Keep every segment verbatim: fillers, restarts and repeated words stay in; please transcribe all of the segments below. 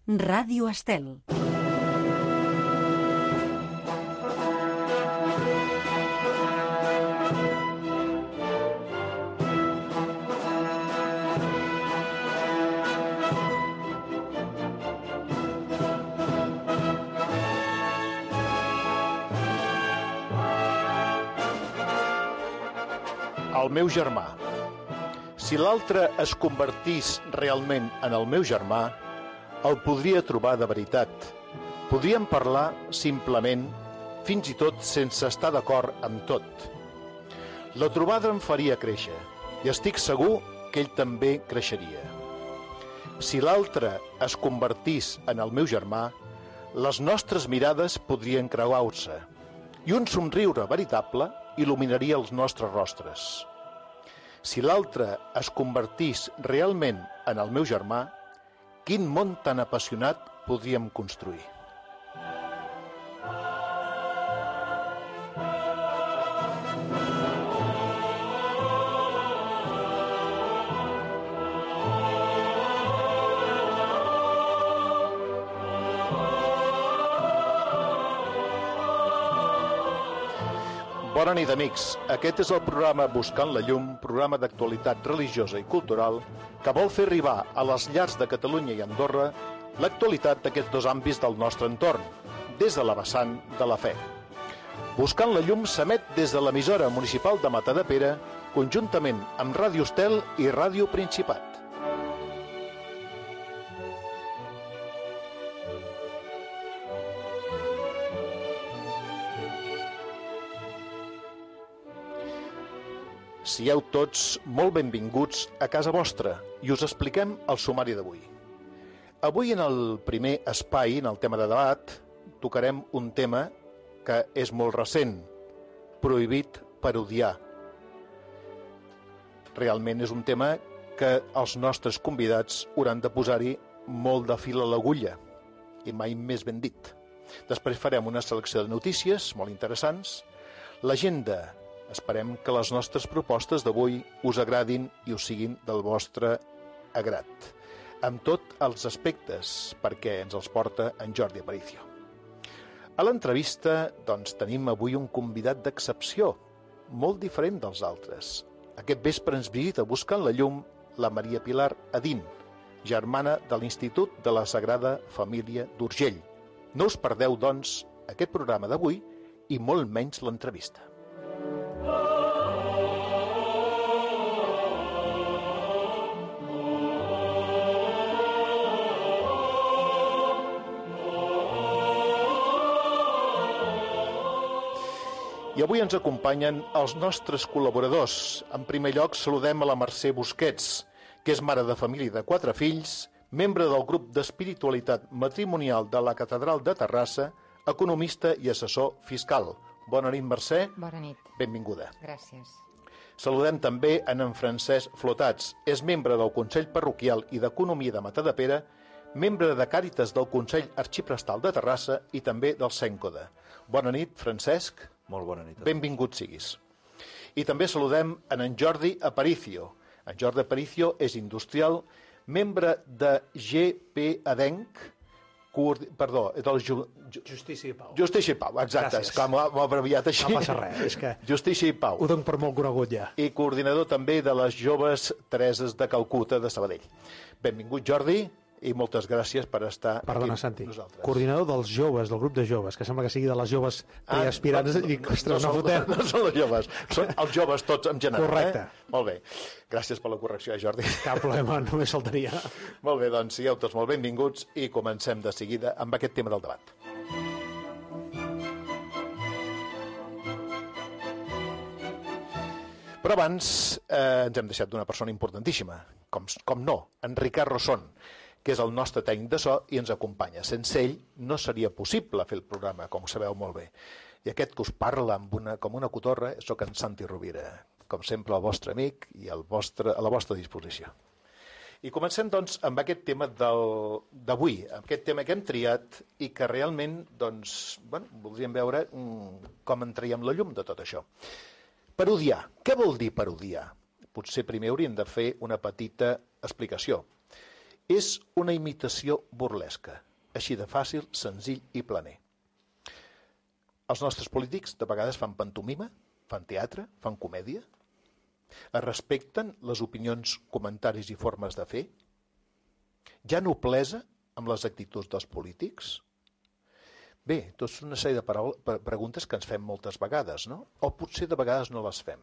Ràdio Estel. El meu germà. Si l'altre es convertís realment en el meu germà, el podria trobar de veritat. Podríem parlar simplement, fins i tot sense estar d'acord amb tot. La trobada em faria créixer, i estic segur que ell també creixeria. Si l'altre es convertís en el meu germà, les nostres mirades podrien creuar-se, i un somriure veritable il·luminaria els nostres rostres. Si l'altre es convertís realment en el meu germà, quin món tan apassionat podríem construir? Bona nit, amics. Aquest és el programa Buscant la Llum, programa d'actualitat religiosa i cultural que vol fer arribar a les llars de Catalunya i Andorra l'actualitat d'aquests dos àmbits del nostre entorn, des de la vessant de la fe. Buscant la Llum s'emet des de l'emissora municipal de Matadepera, conjuntament amb Ràdio Estel i Ràdio Principat. Sieu tots molt benvinguts a casa vostra i us expliquem el sumari d'avui. Avui, en el primer espai, en el tema de debat, tocarem un tema que és molt recent, prohibit per odiar. Realment és un tema que els nostres convidats hauran de posar-hi molt de fil a l'agulla, i mai més ben dit. Després farem una selecció de notícies molt interessants, l'agenda. Esperem que les nostres propostes d'avui us agradin i us siguin del vostre agrat, amb tots els aspectes, perquè ens els porta en Jordi Aparicio. A l'entrevista, doncs, tenim avui un convidat d'excepció, molt diferent dels altres. Aquest vespre ens visita buscant la llum la Maria Pilar Adín, germana de l'Institut de la Sagrada Família d'Urgell. No us perdeu, doncs, aquest programa d'avui i molt menys l'entrevista. I avui ens acompanyen els nostres col·laboradors. En primer lloc, saludem a la Mercè Busquets, que és mare de família de quatre fills, membre del grup d'espiritualitat matrimonial de la Catedral de Terrassa, economista i assessor fiscal. Bona nit, Mercè. Bona nit. Benvinguda. Gràcies. Saludem també en en Francesc Flotats. És membre del Consell Parroquial i d'Economia de Matadepera, membre de Càritas del Consell Arxiprestal de Terrassa i també del Cèncode. Bona nit, Francesc. Molt bona nit. Benvingut siguis. I també saludem en en Jordi Aparicio. En Jordi Aparicio és industrial, membre de G P Adenc, coord... perdó, del Ju... Justícia i Pau. Justícia i Pau, exacte, Gràcies. és que m'ho ha abreviat així. No passa res, és que Justícia i Pau. ho dono per molt conegut ja. I coordinador també de les joves Tereses de Calcuta de Sabadell. Benvingut, Jordi, i moltes gràcies per estar Perdona, aquí Santi. amb nosaltres. Coordinador dels joves, del grup de joves, que sembla que sigui de les joves preaspirants. Ah, i dic, no, ostres, no, no, fotem. no, no són els joves, són els joves tots en general. Correcte. Eh? Molt bé. Gràcies per la correcció, Jordi. Cap problema, només faltaria. Molt bé, doncs sigueu tots molt benvinguts i comencem de seguida amb aquest tema del debat. Però abans eh, ens hem deixat d'una persona importantíssima, com, com no, en Ricard Rosson, que és el nostre tècnic de so i ens acompanya. Sense ell no seria possible fer el programa, com ho sabeu molt bé. I aquest que us parla amb una, com una cotorra, sóc en Santi Rovira, com sempre el vostre amic i el vostre, a la vostra disposició. I comencem, doncs, amb aquest tema d'avui, aquest tema que hem triat i que realment, doncs, bueno, voldríem veure mm, com en traiem la llum de tot això. Parodiar. Què vol dir parodiar? Potser primer hauríem de fer una petita explicació. És una imitació burlesca, així de fàcil, senzill i planer. Els nostres polítics de vegades fan pantomima, fan teatre, fan comèdia, es respecten les opinions, comentaris i formes de fer, hi ha noblesa amb les actituds dels polítics. Bé, tot és una sèrie de paraules, preguntes que ens fem moltes vegades, no? O potser de vegades no les fem.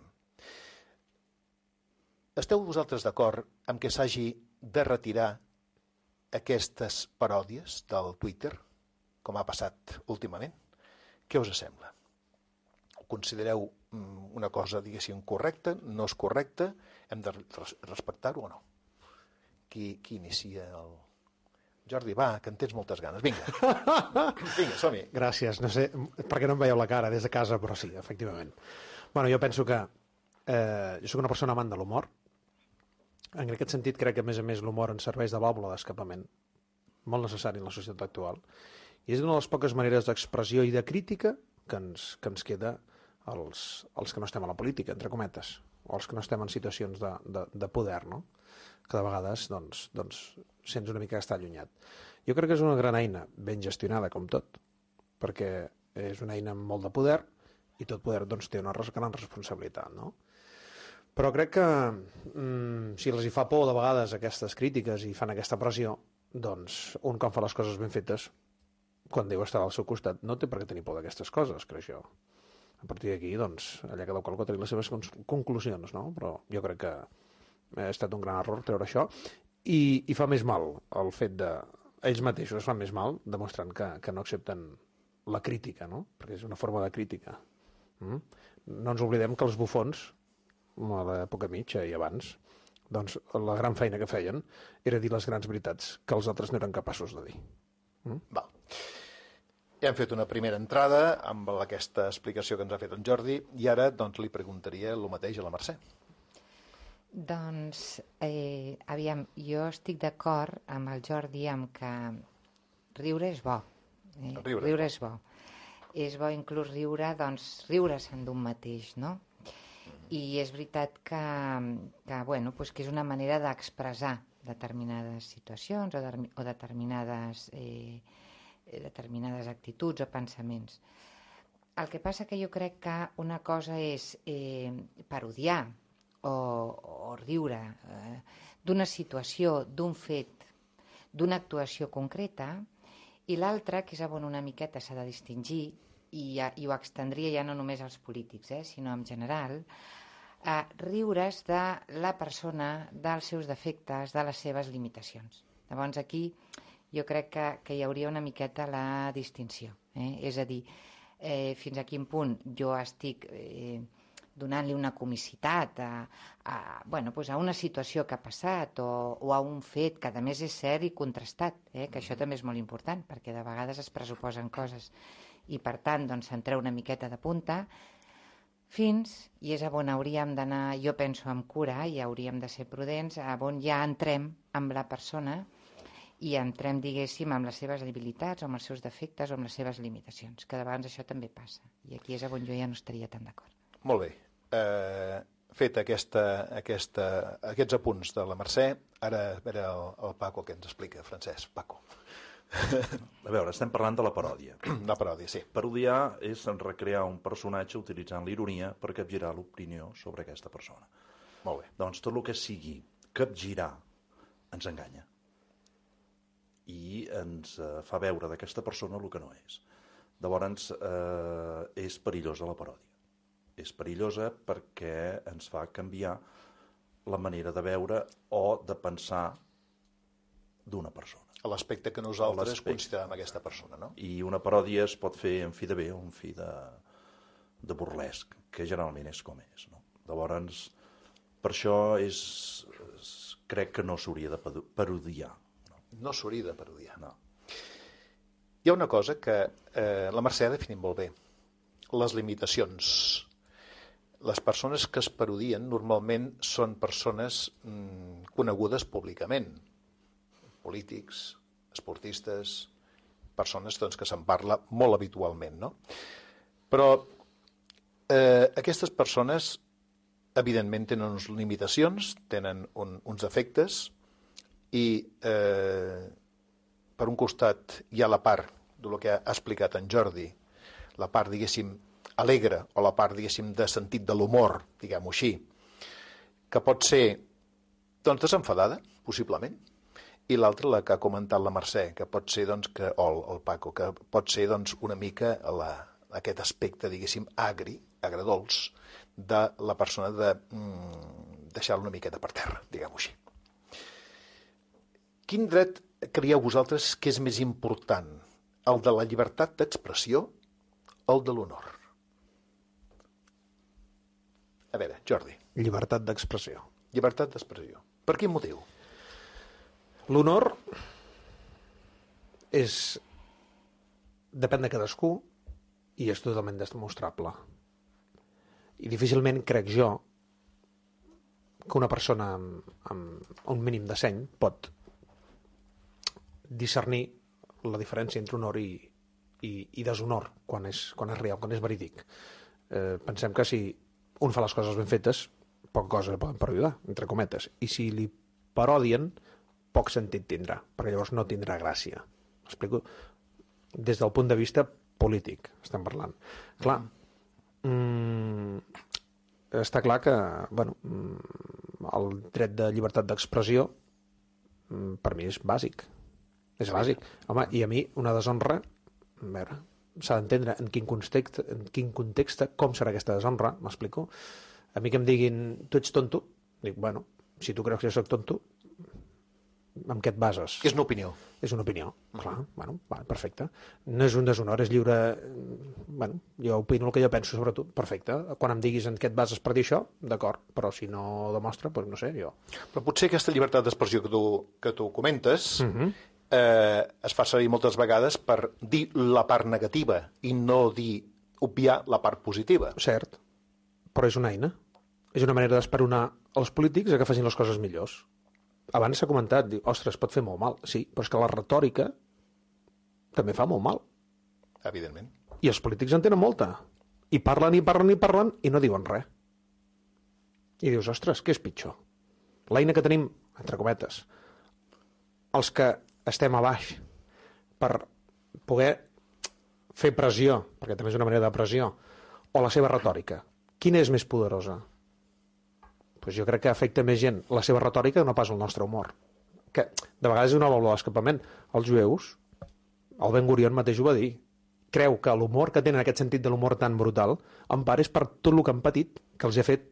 Esteu vosaltres d'acord amb que s'hagi de retirar aquestes paròdies del Twitter, com ha passat últimament? Què us sembla? Ho considereu una cosa, diguéssim, correcta, no és correcta? Hem de respectar-ho o no? Qui, qui inicia el... Jordi, va, que en tens moltes ganes. Vinga, vinga, som-hi. Gràcies. No sé perquè no em veieu la cara des de casa, però sí, efectivament. Bueno, jo penso que eh, jo soc una persona amant de l'humor. En aquest sentit, crec que, a més a més, l'humor ens serveix de vàlvula d'escapament, molt necessari en la societat actual. I és una de les poques maneres d'expressió i de crítica que ens, que ens queda als, als que no estem a la política, entre cometes, o als que no estem en situacions de, de, de poder, no? Que de vegades doncs, doncs, sents una mica estar allunyat. Jo crec que és una gran eina, ben gestionada com tot, perquè és una eina amb molt de poder i tot poder doncs, té una gran responsabilitat, no? Però crec que mm, si els hi fa por de vegades aquestes crítiques i fan aquesta pressió, doncs un quan fa les coses ben fetes, quan Déu està al seu costat, no té per què tenir por d'aquestes coses, crec jo. A partir d'aquí, doncs, allà cada qual pot tenir les seves conclusions, no? Però jo crec que ha estat un gran error treure això i, i fa més mal el fet de... Ells mateixos es fan més mal demostrant que, que no accepten la crítica, no? Perquè és una forma de crítica. Mm? No ens oblidem que els bufons, a l'època mitja i abans, doncs la gran feina que feien era dir les grans veritats que els altres no eren capaços de dir. Mm? Val. Ja hem fet una primera entrada amb aquesta explicació que ens ha fet en Jordi i ara doncs, li preguntaria el mateix a la Mercè. Doncs, eh, aviam, jo estic d'acord amb el Jordi amb que riure és bo. Eh? Riure, riure és bo. És bo inclús riure, doncs, riure-se'n d'un mateix, no? I és veritat que, que, bueno, pues que és una manera d'expressar determinades situacions o, de, o determinades, eh, determinades actituds o pensaments. El que passa que jo crec que una cosa és eh, parodiar o, o riure eh, d'una situació, d'un fet, d'una actuació concreta, i l'altra, que és on una miqueta s'ha de distingir, i, ja, i ho extendria ja no només als polítics, eh, sinó en general, eh, riure's de la persona, dels seus defectes, de les seves limitacions. Llavors aquí jo crec que, que hi hauria una miqueta la distinció. Eh? És a dir, eh, fins a quin punt jo estic... Eh, donant-li una comicitat a, a, bueno, pues a una situació que ha passat o, o a un fet que a més és cert i contrastat, eh? Que això també és molt important perquè de vegades es pressuposen coses i per tant doncs centrar una miqueta de punta fins, i és on hauríem d'anar, jo penso amb cura i hauríem de ser prudents, on ja entrem amb la persona i entrem, diguéssim, amb les seves debilitats o amb els seus defectes o amb les seves limitacions, que de vegades això també passa i aquí és on jo ja no estaria tan d'acord. Molt bé. Eh, fet aquesta, aquesta, aquests apunts de la Mercè, ara a veure el, el Paco que ens explica. Francesc, Paco. A veure, estem parlant de la paròdia. La paròdia, sí. Parodiar és recrear un personatge utilitzant l'ironia per capgirar l'opinió sobre aquesta persona. Molt bé. Doncs tot el que sigui capgirar ens enganya i ens eh, fa veure d'aquesta persona el que no és. Llavors, eh, és perillosa la paròdia. És perillosa perquè ens fa canviar la manera de veure o de pensar d'una persona. A l'aspecte que nosaltres considerem aquesta persona, no? I una paròdia es pot fer en fi de bé o en fi de, de burlesc, que generalment és com és, no? Llavors, per això és, és, crec que no s'hauria de parodiar. No, no s'hauria de parodiar. No. Hi ha una cosa que eh, la Mercè ha definit molt bé. Les limitacions. Les persones que es parodien normalment són persones mm, conegudes públicament. Polítics, esportistes, persones doncs, que se'n parla molt habitualment, no? Però eh, aquestes persones evidentment tenen unes limitacions, tenen un, uns efectes I eh, per un costat hi ha la part del que ha explicat en Jordi, la part, diguéssim, alegre, o la part, diguéssim, de sentit de l'humor, diguem-ho així, que pot ser, doncs, desenfadada, possiblement, i l'altra, la que ha comentat la Mercè, que pot ser, doncs, que, o el, el Paco, que pot ser, doncs, una mica la, aquest aspecte, diguéssim, agri, agredolç, de la persona de mm, deixar-lo una miqueta per terra, diguem-ho així. Quin dret creieu vosaltres que és més important? El de la llibertat d'expressió o el de l'honor? A veure, Jordi. Llibertat d'expressió. Llibertat d'expressió. Per quin motiu? L'honor és... depèn de cadascú i és totalment demostrable. I difícilment crec jo que una persona amb, amb un mínim de seny pot discernir la diferència entre honor i, i, i deshonor quan és, quan és real, quan és verídic. Eh, pensem que si un fa les coses ben fetes, poc cosa poden perjudicar, entre cometes. I si li parodien, poc sentit tindrà, perquè llavors no tindrà gràcia. M'explico? Des del punt de vista polític, estem parlant. Clar, mm, està clar que bueno, el dret de llibertat d'expressió mm, per mi és bàsic. És bàsic. Home, i a mi una deshonra, a veure, s'ha d'entendre en quin context, en quin context, com serà aquesta deshonra, m'explico? A mi que em diguin, tu ets tonto, dic, bueno, si tu creus que jo soc tonto, amb què et bases? És una opinió. És una opinió, clar, bueno, va, perfecte. No és un deshonor, és lliure... Bueno, jo opino el que jo penso sobre tu, perfecte. Quan em diguis en què et bases per dir això, d'acord, però si no ho demostra, doncs no sé, jo... Però potser aquesta llibertat d'expressió que tu, que tu comentes uh-huh. eh, es fa servir moltes vegades per dir la part negativa i no dir, obviar la part positiva. Cert, però és una eina. És una manera d'esperonar els polítics a que facin les coses millors. Abans s'ha comentat, diu, ostres, pot fer molt mal. Sí, però és que la retòrica també fa molt mal. Evidentment. I els polítics en tenen molta. I parlen, i parlen, i parlen, i no diuen res. I dius, ostres, què és pitjor? L'eina que tenim, entre cometes, els que estem a baix per poder fer pressió, perquè també és una manera de pressió, o la seva retòrica, quina és més poderosa? Pues jo crec que afecta més gent la seva retòrica que no pas el nostre humor. Que de vegades és una vàlvula d'escapament. Els jueus, el Ben Gurion mateix ho va dir, creu que l'humor que tenen, aquest sentit de l'humor tan brutal, en part és per tot el que han patit, que els ha fet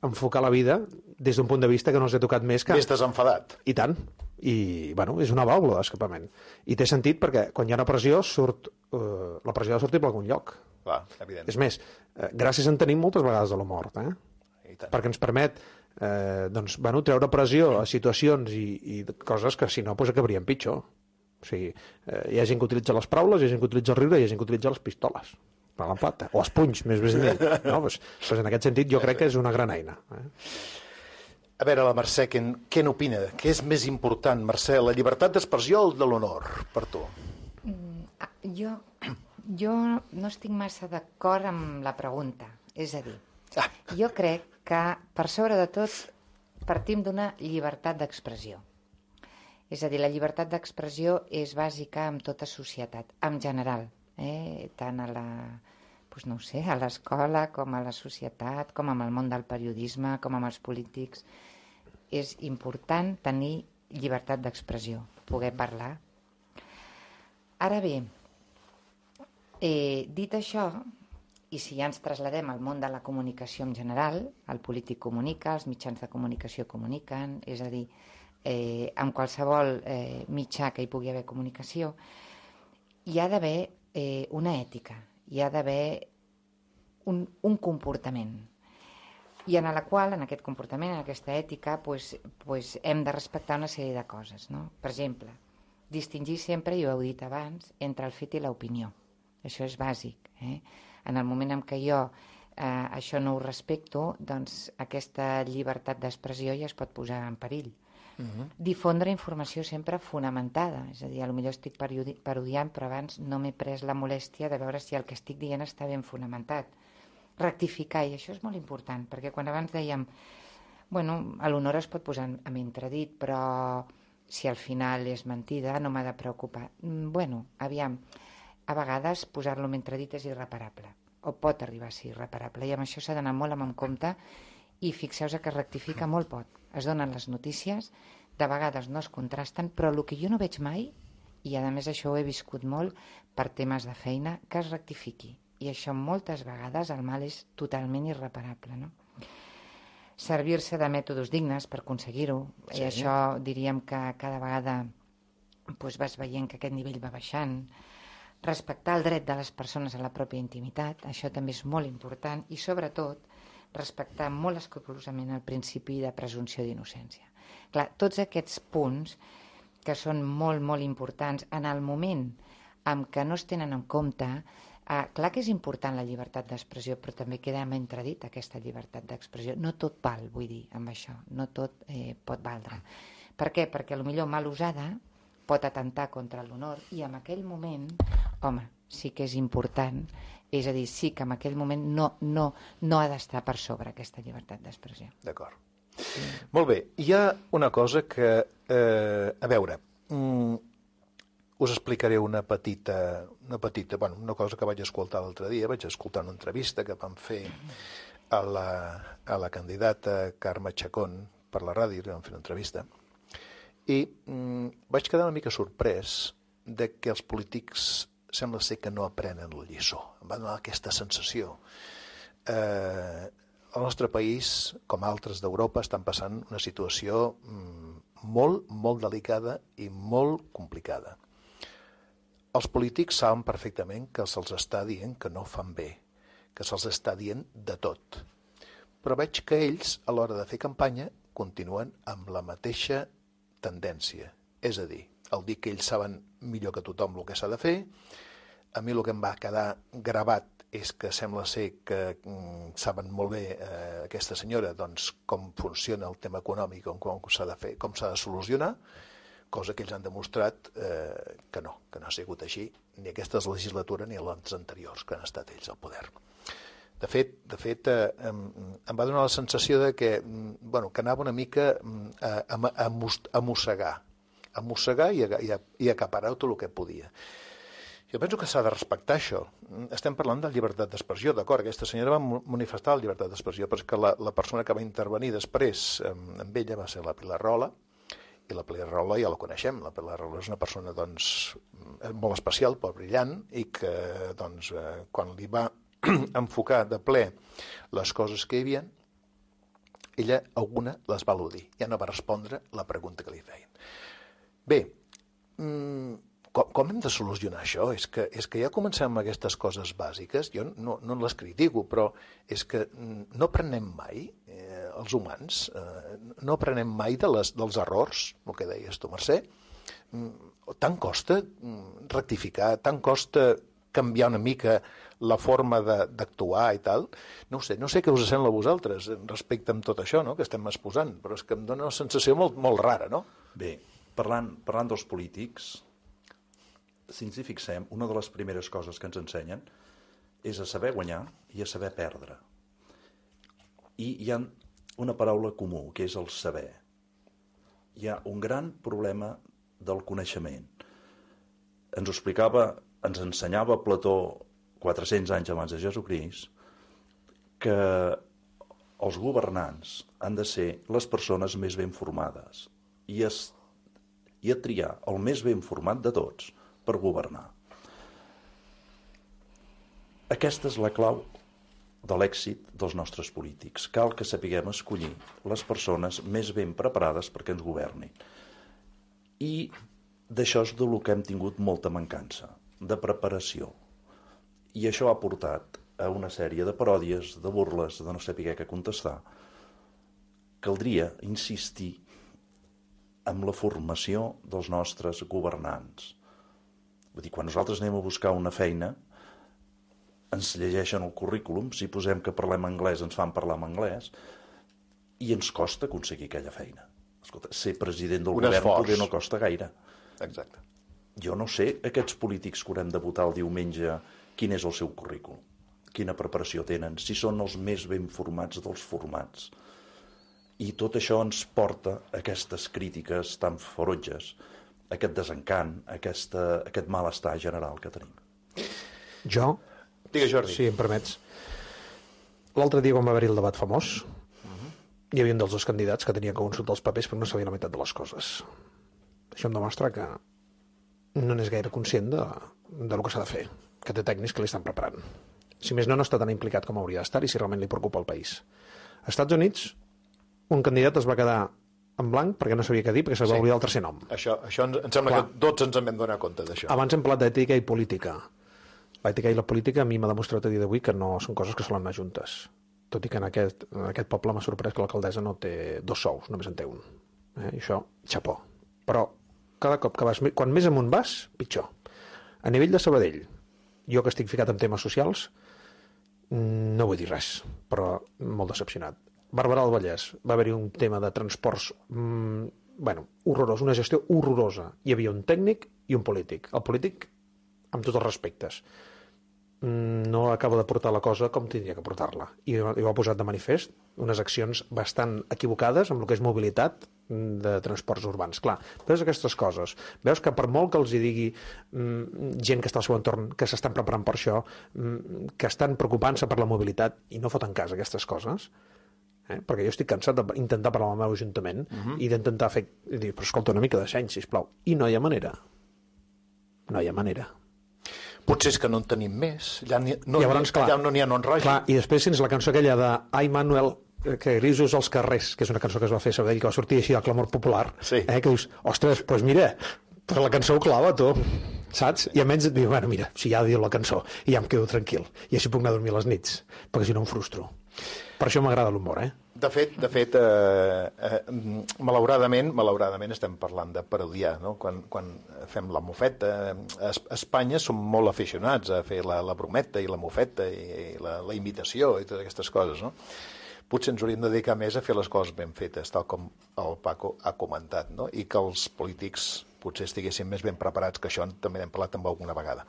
enfocar la vida des d'un punt de vista que no els ha tocat més que... Més desenfadat. I tant. I, bueno, és una vàlvula d'escapament. I té sentit perquè quan hi ha una pressió, surt, eh, la pressió ha de sortir per algun lloc. Clar, evident. És més, eh, gràcies en tenim moltes vegades de l'humor, eh? Perquè ens permet eh, doncs, bueno, treure pressió a situacions i, i coses que si no pues, acabarien pitjor. O sigui, eh, hi ha gent que utilitza les paraules, hi ha gent que utilitza el riure i hi ha gent que utilitza les pistoles per l'empat, o els punys, més ben dit. No? Pues, pues en aquest sentit jo crec que és una gran eina. Eh? A veure, la Mercè, què, què n'opina? Què és més important, Mercè, la llibertat d'expressió o el de l'honor, per tu? Mm, jo, jo no estic massa d'acord amb la pregunta. És a dir, ah. jo crec que, per sobre de tot, partim d'una llibertat d'expressió. És a dir, la llibertat d'expressió és bàsica en tota societat, en general, eh? tant a la, doncs no ho sé, a l'escola, com a la societat, com amb el món del periodisme, com amb els polítics. És important tenir llibertat d'expressió, poder parlar. Ara bé, eh, dit això, i si ja ens trasladem al món de la comunicació en general, el polític comunica, els mitjans de comunicació comuniquen, és a dir, eh, amb qualsevol eh, mitjà que hi pugui haver comunicació, hi ha d'haver eh, una ètica, hi ha d'haver un, un comportament, i en la qual, en aquest comportament, en aquesta ètica, pues, pues hem de respectar una sèrie de coses, no? Per exemple, distingir sempre, i ho heu dit abans, entre el fet i l'opinió. Això és bàsic, eh? En el moment en què jo eh, això no ho respecto, doncs aquesta llibertat d'expressió ja es pot posar en perill. Uh-huh. Difondre informació sempre fonamentada, és a dir, potser estic parodiant, però abans no m'he pres la molèstia de veure si el que estic dient està ben fonamentat. Rectificar, i això és molt important, perquè quan abans dèiem, bueno, l'honor es pot posar en entredit, però si al final és mentida, no m'ha de preocupar. Bueno, aviam, a vegades posar-lo en entredit és irreparable, o pot arribar a ser irreparable, i amb això s'ha d'anar molt amb compte, i fixeu-vos que rectifica molt poc. Es donen les notícies, de vegades no es contrasten, però el que jo no veig mai, i a més això ho he viscut molt per temes de feina, que es rectifiqui. I això moltes vegades el mal és totalment irreparable, no? Servir-se de mètodes dignes per aconseguir-ho, sí. I això diríem que cada vegada doncs, vas veient que aquest nivell va baixant. Respectar el dret de les persones a la pròpia intimitat, això també és molt important, i sobretot respectar molt escrupolosament el principi de presumpció d'innocència. Clar, tots aquests punts que són molt, molt importants en el moment en què no es tenen en compte. Ah, clar que és important la llibertat d'expressió, però també queda en entredit aquesta llibertat d'expressió. No tot val, vull dir, amb això. No tot eh, pot valdre. Per què? Perquè potser mal usada pot atentar contra l'honor i en aquell moment, home, sí que és important, és a dir, sí que en aquell moment no, no, no ha d'estar per sobre aquesta llibertat d'expressió. D'acord. Sí. Molt bé. Hi ha una cosa que, eh, a veure, mm, us explicaré una petita, una petita, bueno, una cosa que vaig escoltar l'altre dia. Vaig escoltar una entrevista que vam fer a la, a la candidata Carme Chacón per la ràdio, vam fer una entrevista, i mm, vaig quedar una mica sorprès de que els polítics sembla ser que no aprenen la lliçó. Em va donar aquesta sensació. Eh, el nostre país, com altres d'Europa, estan passant una situació mm, molt, molt delicada i molt complicada. Els polítics saben perfectament que se'ls està dient que no fan bé, que se'ls està dient de tot. Però veig que ells, a l'hora de fer campanya, continuen amb la mateixa tendència. És a dir, el dir que ells saben millor que tothom el que s'ha de fer. A mi el que em va quedar gravat és que sembla ser que mm, saben molt bé eh, aquesta senyora doncs, com funciona el tema econòmic, com, com s'ha de fer, com s'ha de solucionar, cosa que ells han demostrat eh, que no, que no ha sigut així, ni aquesta legislatura ni les anteriors que han estat ells al poder. De fet, de fet eh, em, em va donar la sensació de que, bueno, que anava una mica a, a, a, a mossegar, a mossegar i a, i, a, i a acaparar tot el que podia. Jo penso que s'ha de respectar això. Estem parlant de llibertat d'expressió, d'acord, aquesta senyora va manifestar la llibertat d'expressió, però és que la, la persona que va intervenir després amb ella va ser la Pilar Rola, i la Pilar Rola ja la coneixem. La Pilar Rola és una persona doncs, molt especial, molt brillant, i que doncs, eh, quan li va enfocar de ple les coses que hi havia, ella alguna les va al·ludir. Ja no va respondre la pregunta que li feien. Bé, mmm, com, com hem de solucionar això? És que, és que ja comencem amb aquestes coses bàsiques. Jo no, no les critico, però és que no aprenem mai, eh, els humans, eh, no aprenem mai de les, dels errors, el que deies tu, Mercè. Tant costa rectificar, tant costa canviar una mica la forma d'actuar i tal. No ho sé, no sé què us sembla a vosaltres respecte amb tot això, no?, que estem exposant, però és que em dona una sensació molt, molt rara, no? Bé, parlant, parlant dels polítics, si ens hi fixem, una de les primeres coses que ens ensenyen és a saber guanyar i a saber perdre. I hi ha una paraula comú, que és el saber. Hi ha un gran problema del coneixement. Ens ho explicava, ens ensenyava Plató quatre-cents anys abans de Jesucrist, que els governants han de ser les persones més ben formades i, es, i a triar el més ben format de tots per governar. Aquesta és la clau de l'èxit dels nostres polítics. Cal que sapiguem escollir les persones més ben preparades perquè ens governin. I d'això és del que hem tingut molta mancança, de preparació. I això ha portat a una sèrie de paròdies, de burles, de no saber què contestar. Caldria insistir en la formació dels nostres governants. Vull dir, quan nosaltres anem a buscar una feina, ens llegeixen el currículum, si posem que parlem anglès ens fan parlar en anglès, i ens costa aconseguir aquella feina. Escolta, ser president del govern poder no costa gaire. Exacte. Jo no sé aquests polítics que haurem de votar el diumenge quin és el seu currículum, quina preparació tenen, si són els més ben formats dels formats. I tot això ens porta a aquestes crítiques tan ferotges, aquest desencant, aquesta, aquest malestar general que tenim. Jo, Digues, Jordi. si em permets, l'altre dia quan va haver-hi el debat famós, hi havia un dels dos candidats que tenia que consultar els papers però no sabia la meitat de les coses. Això em demostra que no n'és gaire conscient de, de lo que s'ha de fer, que té tècnics que li estan preparant. Si més no, no està tan implicat com hauria d'estar i si realment li preocupa el país. Als Estats Units, un candidat es va quedar en blanc perquè no sabia què dir, perquè se va Sí. oblidar el tercer nom. Això, això ens, em sembla Clar. que tots ens en vam donar compte d'això. Abans hem parlat d'ètica i política. L'ètica i la política a mi m'ha demostrat a dia d'avui que no són coses que solen anar juntes. Tot i que en aquest, en aquest poble m'ha sorprès que l'alcaldessa no té dos sous, només en té un. Eh? I això, xapó. Però cada cop que vas, quan més amunt vas, pitjor. A nivell de Sabadell, jo que estic ficat en temes socials, no vull dir res, però molt decepcionat. Barberà del Vallès, va haver-hi un tema de transports, mmm, bueno, horrorós, una gestió horrorosa. Hi havia un tècnic i un polític. El polític, amb tots els respectes, no acaba de portar la cosa com tindria que portar-la. I ho ha posat de manifest unes accions bastant equivocades amb el que és mobilitat de transports urbans. Clar, veus aquestes coses, veus que per molt que els hi digui mm, gent que està al seu entorn, que s'estan preparant per això, mm, que estan preocupant-se per la mobilitat i no foten cas aquestes coses, eh? Perquè jo estic cansat d'intentar parlar amb el meu ajuntament uh -huh. i d'intentar fer... I dir, però escolta, una mica de seny, sisplau. I no hi ha manera. No hi ha manera. Potser és que no en tenim més. Allà, ni, no, Llavors, clar, allà no n'hi ha no en rogi. Clar, i després tens la cançó aquella de Ai, Manuel, que grisos als carrers, que és una cançó que es va fer a Sabadell, que va sortir així al clamor popular, Sí. eh, que dius, ostres, doncs mira, però la cançó ho clava, tu, saps? I almenys et diu, bueno, mira, si ja diu la cançó, i ja em quedo tranquil, i així puc anar a dormir a les nits, perquè si no em frustro. Per això m'agrada l'humor, eh? De fet, de fet eh, eh, malauradament, malauradament estem parlant de parodiar, no? Quan, quan fem la mofeta, a Espanya som molt aficionats a fer la, la brometa i la mofeta i, i la, la imitació i totes aquestes coses, no? Potser ens hauríem de dedicar més a fer les coses ben fetes, tal com el Paco ha comentat, no? I que els polítics potser estiguessin més ben preparats, que això també n'hem parlat amb alguna vegada.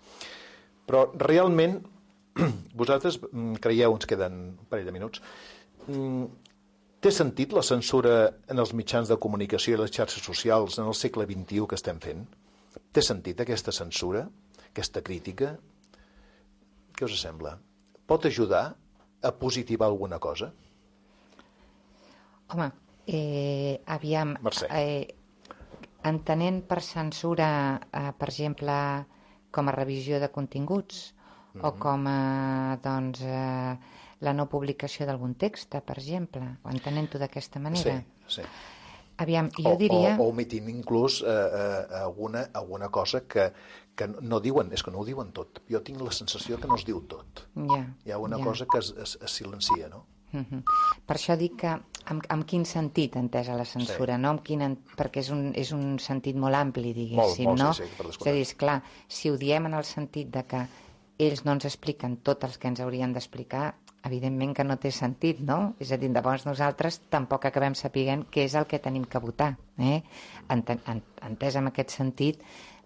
Però realment, vosaltres creieu, ens queden un parell de minuts, té sentit la censura en els mitjans de comunicació i les xarxes socials en el segle vint-i-u que estem fent? Té sentit aquesta censura, aquesta crítica? Què us sembla? Pot ajudar a positivar alguna cosa? Home, eh, aviam... Mercè. Eh, entenent per censura, eh, per exemple, com a revisió de continguts, mm-hmm. o com a, doncs, eh, la no publicació d'algun text, per exemple, o entenent-ho d'aquesta manera. Sí, sí. Aviam, jo diria... O, o, o omitint inclús eh, eh, alguna, alguna cosa que, que no diuen, és que no ho diuen tot. Jo tinc la sensació que no es diu tot. Ja, Hi ha una ja. cosa que es, es, es silencia, no? Uh-huh. Per això dic que amb, amb quin sentit entesa la censura, Sí. no? Amb quin, perquè és un, és un sentit molt ampli, diguéssim, Molt, molt, no? sí, sí, per és descomptat. a dir, esclar, si ho diem en el sentit de que ells no ens expliquen tot els que ens haurien d'explicar, evidentment que no té sentit, no? És a dir, llavors nosaltres tampoc acabem sapiguent què és el que tenim que votar, eh? Enten, entès en aquest sentit,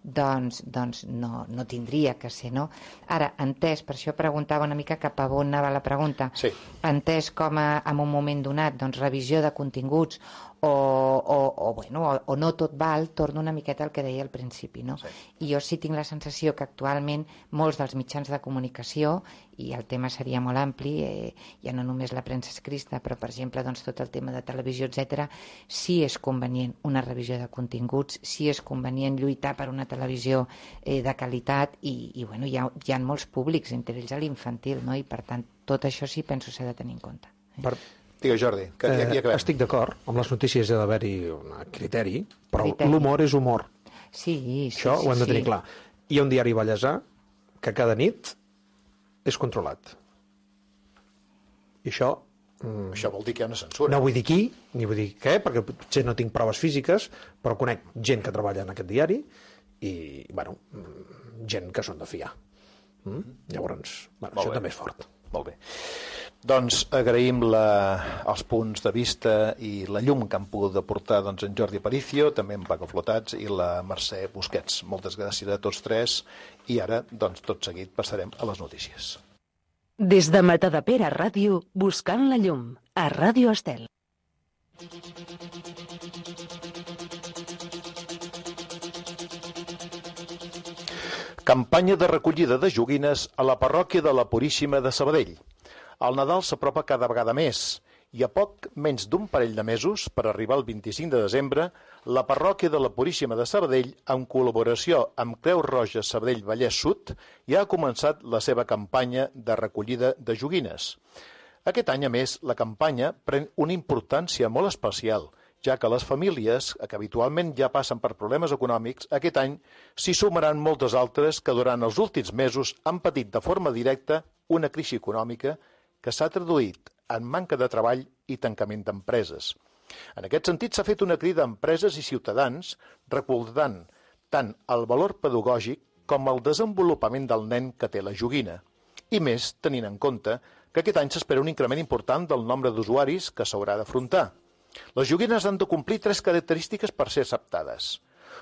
doncs, doncs no, no tindria que ser, no? Ara, entès, per això preguntava una mica cap a on anava la pregunta, Sí. entès com a, en un moment donat, doncs, revisió de continguts o, o, o, bueno, o, o no tot val, torno una miqueta al que deia al principi, no? Sí. I jo sí tinc la sensació que actualment molts dels mitjans de comunicació, i el tema seria molt ampli, eh, ja no només la premsa escrita, però per exemple doncs, tot el tema de televisió, etcètera, sí és convenient una revisió de continguts, sí és convenient lluitar per una televisió eh, de qualitat i, i bueno, hi ha, hi ha molts públics, entre ells a l'infantil, no? I per tant tot això sí penso s'ha de tenir en compte. Eh? Per, Digues, Jordi, que ja, ja eh, acabem. estic d'acord, amb les notícies ha d'haver-hi un criteri, però Criteri. l'humor és humor. Sí, sí, Això sí, ho hem de tenir sí. clar. Hi ha un diari vallesà que cada nit és controlat. I això... Mm, Això vol dir que hi ha una censura. no vull dir qui, ni vull dir què, perquè potser no tinc proves físiques, però conec gent que treballa en aquest diari i, bueno, mm, gent que són de fiar. Mm? Llavors, bueno, Molt això bé. també és fort. Molt bé. Doncs agraïm la, els punts de vista i la llum que han pogut aportar doncs, en Jordi Aparicio, també en Paco Flotats i la Mercè Busquets. Moltes gràcies a tots tres i ara, doncs, tot seguit passarem a les notícies. Des de Matadepera Ràdio, buscant la llum, a Ràdio Estel. Campanya de recollida de joguines a la parròquia de la Puríssima de Sabadell. El Nadal s'apropa cada vegada més i a poc menys d'un parell de mesos, per arribar al vint-i-cinc de desembre, la parròquia de la Puríssima de Sabadell, en col·laboració amb Creu Roja Sabadell Vallès Sud, ja ha començat la seva campanya de recollida de joguines. Aquest any, a més, la campanya pren una importància molt especial, ja que les famílies, que habitualment ja passen per problemes econòmics, aquest any s'hi sumaran moltes altres que durant els últims mesos han patit de forma directa una crisi econòmica que s'ha traduït en manca de treball i tancament d'empreses. En aquest sentit, s'ha fet una crida a empreses i ciutadans recordant tant el valor pedagògic com el desenvolupament del nen que té la joguina. I més, tenint en compte que aquest any s'espera un increment important del nombre d'usuaris que s'haurà d'afrontar. Les joguines han de complir tres característiques per ser acceptades.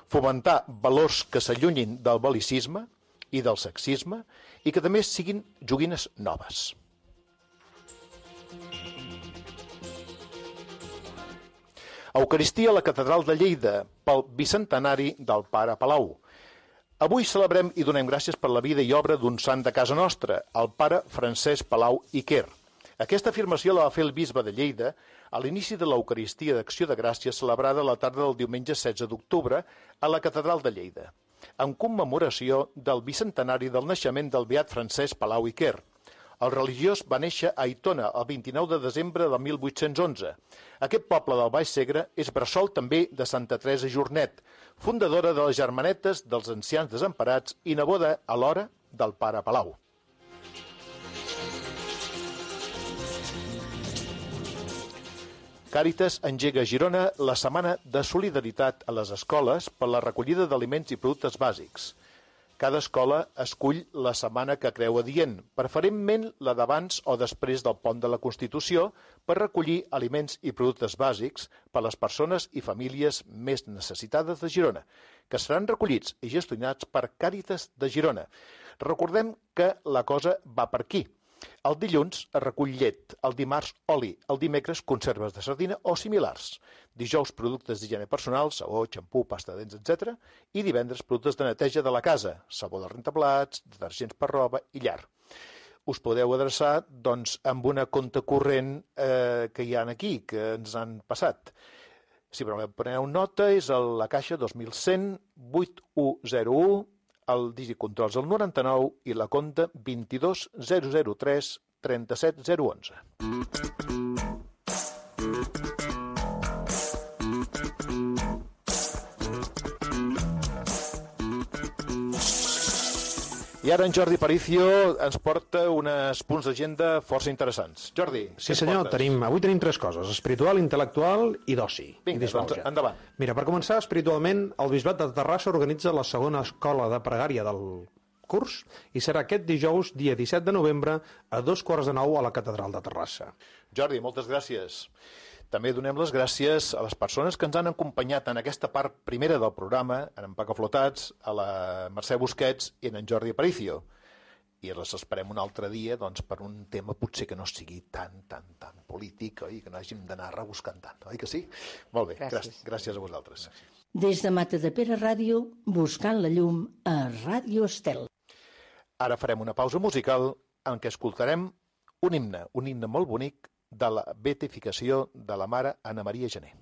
Fomentar valors que s'allunyin del bel·licisme i del sexisme i que també siguin joguines noves. Eucaristia a la Catedral de Lleida pel bicentenari del Pare Palau. Avui celebrem i donem gràcies per la vida i obra d'un sant de casa nostra, el Pare Francesc Palau i Quer. Aquesta afirmació la va fer el bisbe de Lleida a l'inici de l'Eucaristia d'Acció de Gràcies celebrada a la tarda del diumenge setze d'octubre a la Catedral de Lleida, en commemoració del bicentenari del naixement del beat Francesc Palau i Quer. El religiós va néixer a Aitona el vint-i-nou de desembre de mil vuit-cents onze. Aquest poble del Baix Segre és bressol també de Santa Teresa Jornet, fundadora de les Germanetes dels Ancians Desemparats i neboda alhora del Pare Palau. Càritas engega a Girona la Setmana de Solidaritat a les escoles per la recollida d'aliments i productes bàsics. Cada escola escull la setmana que creu adient, preferentment la d'abans o després del pont de la Constitució, per recollir aliments i productes bàsics per a les persones i famílies més necessitades de Girona, que seran recollits i gestionats per Càritas de Girona. Recordem que la cosa va per aquí. El dilluns es recull llet, el dimarts oli, el dimecres conserves de sardina o similars, dijous productes d'higiene personal, sabó, xampú, pasta de dents, etcètera, i divendres productes de neteja de la casa, sabó de rentaplats, detergents per roba i llar. Us podeu adreçar doncs, amb una compte corrent eh, que hi ha aquí, que ens han passat. Si preneu nota, és a la caixa dos mil cent vuit u zero u, el dígit controls el noranta-nou i la compte vint-i-dos zero zero tres trenta-set zero onze. I ara en Jordi Paricio ens porta uns punts d'agenda força interessants. Jordi, sí senyor, tenim, avui tenim tres coses, espiritual, intel·lectual i d'oci. Vinga, doncs endavant. Mira, per començar, espiritualment, el Bisbat de Terrassa organitza la segona escola de pregària del curs i serà aquest dijous, dia disset de novembre, a dos quarts de nou a la Catedral de Terrassa. Jordi, moltes gràcies. També donem les gràcies a les persones que ens han acompanyat en aquesta part primera del programa, en en Paco Flotats, a la Mercè Busquets i en en Jordi Aparicio. I les esperem un altre dia doncs, per un tema potser que no sigui tan, tan, tan polític, oi? Que no hàgim d'anar rebuscant tant, oi que sí? Molt bé, gràcies, gràcies a vosaltres. Des de Matadepera Ràdio, buscant la llum a Ràdio Estel. Ara farem una pausa musical en què escoltarem un himne, un himne molt bonic de la beatificació de la mare Anna Maria Gené.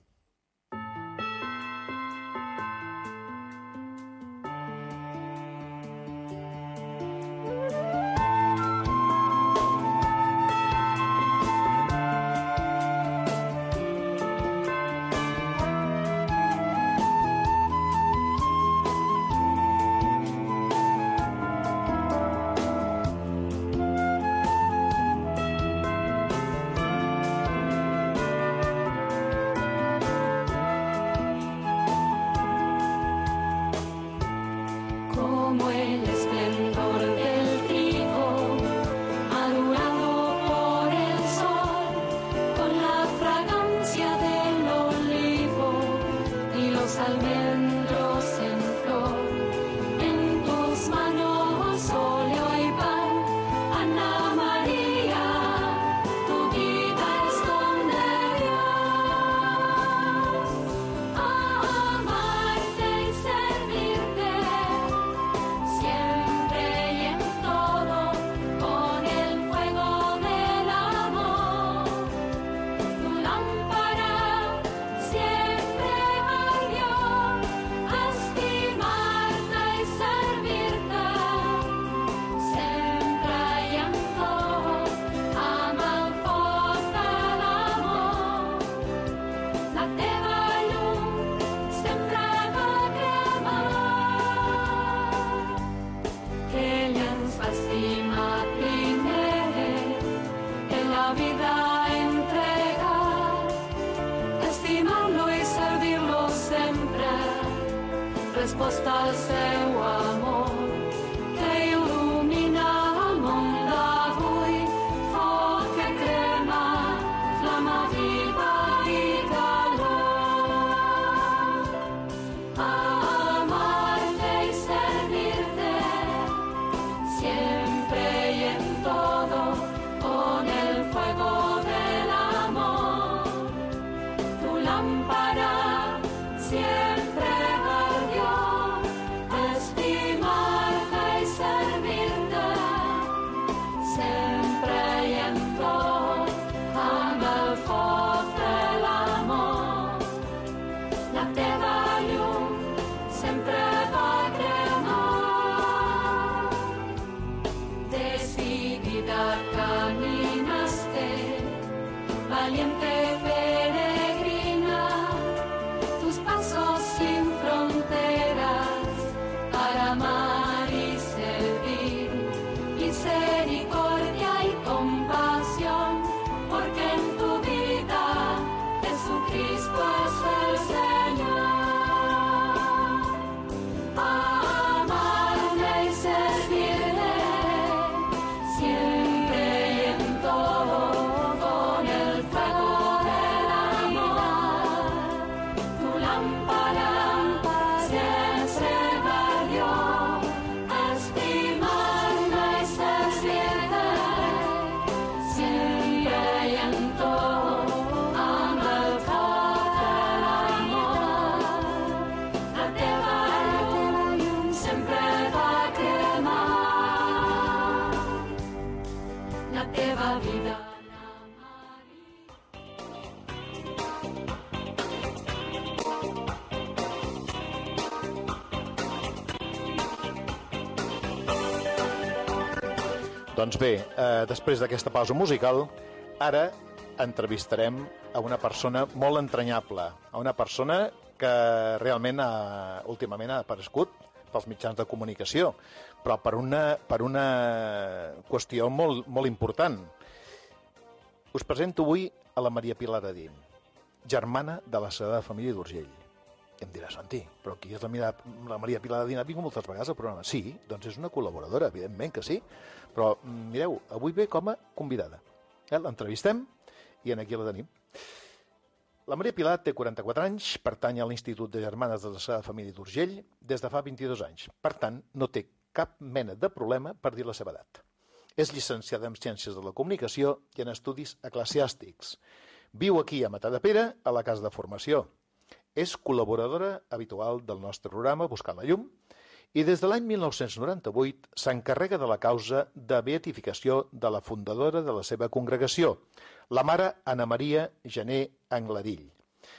aposta el seu amor, que il·lumina el món d'avui, foc que crema, flama viva i calor. Amarte y servirte, siempre y en todo, con el fuego del amor. Tu lámpara siempre ardió, estimarte y servirte, sempre i en tot, amb el foc de l'amor. La teva llum sempre va cremar. Decidida caminaste, valiente peregrina, tus pasos sin fronteras para amar y servir, misericordia y compasión, porque en tu vida Jesucristo es el Señor. Amarle y servirle, siempre y en todo, con el fuego del amor. Tu lámpara siempre ardió, estimarme y servirte, siempre y en todo, amb el foc del amor. La teva llum sempre va cremar, la teva vida. Doncs bé, eh, després d'aquesta pausa musical, ara entrevistarem a una persona molt entranyable, a una persona que realment ha, últimament ha aparegut pels mitjans de comunicació, però per una, per una qüestió molt, molt important. Us presento avui a la Maria Pilar Adín, germana de la Sagrada Família d'Urgell. I em dirà, Santi, però qui és la, Mira, la Maria Pilar Adín? Ha vingut moltes vegades al programa. Sí, doncs és una col·laboradora, evidentment que sí, però mireu, avui ve com a convidada. Eh? L'entrevistem i aquí la tenim. La Maria Pilar té quaranta-quatre anys, pertany a l'Institut de Germanes de la Sagrada Família d'Urgell des de fa vint-i-dos anys. Per tant, no té cap mena de problema per dir la seva edat. És llicenciada en Ciències de la Comunicació i en Estudis Eclesiàstics. Viu aquí a Matadepera, a la Casa de Formació. És col·laboradora habitual del nostre programa Buscant la Llum i des de l'any mil nou-cents noranta-vuit s'encarrega de la causa de beatificació de la fundadora de la seva congregació, la mare Anna Maria Gené Angladill,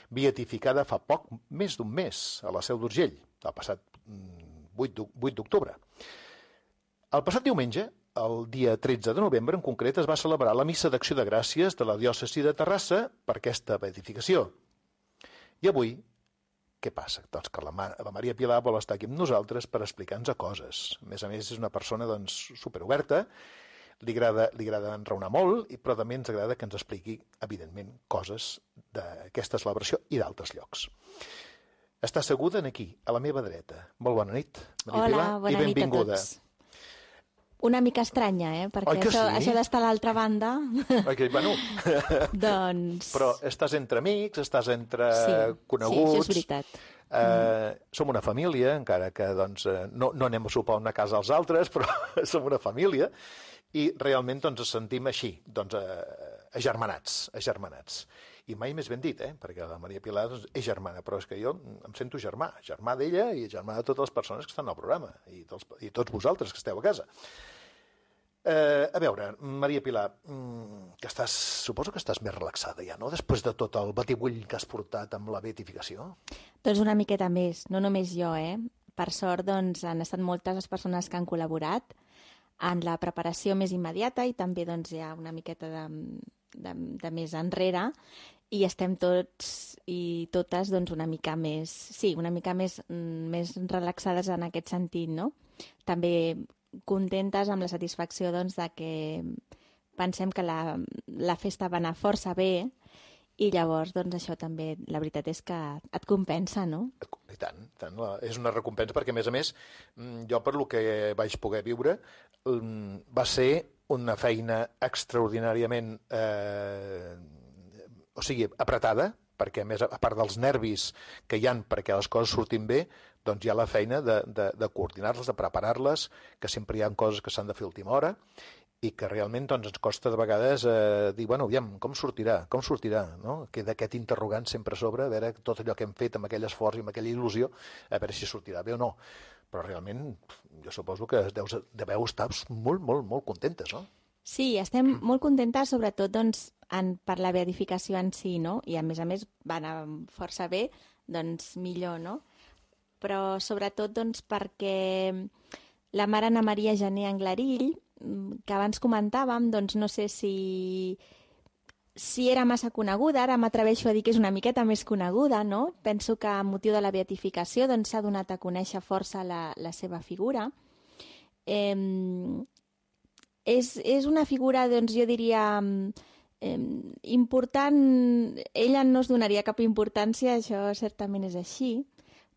beatificada fa poc més d'un mes a la Seu d'Urgell, el passat vuit d'octubre. El passat diumenge, el dia tretze de novembre, en concret, es va celebrar la missa d'acció de gràcies de la diòcesi de Terrassa per aquesta beatificació. I avui, què passa? Doncs que la, la Maria Pilar vol estar aquí amb nosaltres per explicar-nos coses. A més a més, és una persona doncs, superoberta, li agrada, li agrada enraonar molt, però també ens agrada que ens expliqui, evidentment, coses d'aquesta celebració i d'altres llocs. Està asseguda aquí, a la meva dreta. Molt bona nit, Maria Pilar, Hola, bona i benvinguda. nit a tots. Una mica estranya, eh? Perquè Oi que això, sí? això d'estar a l'altra banda... Okay, bueno. doncs... Però estàs entre amics, estàs entre sí, coneguts... Sí, això és veritat. Eh, mm. Som una família, encara que doncs, no, no anem a sopar a una casa als altres, però som una família, i realment doncs, ens sentim així, doncs, eh, agermanats, agermanats. I mai més ben dit, eh? Perquè la Maria Pilar doncs, és germana, però és que jo em sento germà, germà d'ella i germà de totes les persones que estan al programa, i, dels, i tots vosaltres que esteu a casa. Eh, a veure, Maria Pilar, que estàs, suposo que estàs més relaxada ja, no? Després de tot el batibull que has portat amb la beatificació. Doncs una miqueta més, no només jo, eh? Per sort, doncs, han estat moltes les persones que han col·laborat en la preparació més immediata i també doncs, hi ha una miqueta de, de, de més enrere i estem tots i totes doncs, una mica més, sí, una mica més, més relaxades en aquest sentit, no? També contentes amb la satisfacció doncs, de que pensem que la, la festa va anar força bé i llavors, doncs, això també, la veritat és que et compensa, no? I tant, tant. La, és una recompensa perquè, a més a més, jo per lo que vaig poder viure, va ser una feina extraordinàriament, eh, o sigui, apretada, perquè a més, a part dels nervis que hi han perquè les coses surtin bé, doncs hi ha la feina de, de, de coordinar-les, de preparar-les, que sempre hi ha coses que s'han de fer a última hora, i que realment doncs, ens costa de vegades eh, dir, bueno, aviam, com sortirà, com sortirà, no? Queda aquest interrogant sempre a sobre, a veure tot allò que hem fet amb aquell esforç i amb aquella il·lusió, a veure si sortirà bé o no. Però realment, jo suposo que deu, deveu estar molt, molt, molt contentes, no? Sí, estem molt contentes, sobretot doncs, en, per la beatificació en si, no? I a més a més va anar força bé, doncs millor, no? Però sobretot doncs, perquè la mare Anna Maria Gené Anglarill, que abans comentàvem, doncs no sé si, si era massa coneguda, ara m'atreveixo a dir que és una miqueta més coneguda, no? Penso que a motiu de la beatificació doncs, s'ha donat a conèixer força la, la seva figura. Eh, és, és una figura, doncs jo diria, eh, important, ella no es donaria cap importància, això certament és així,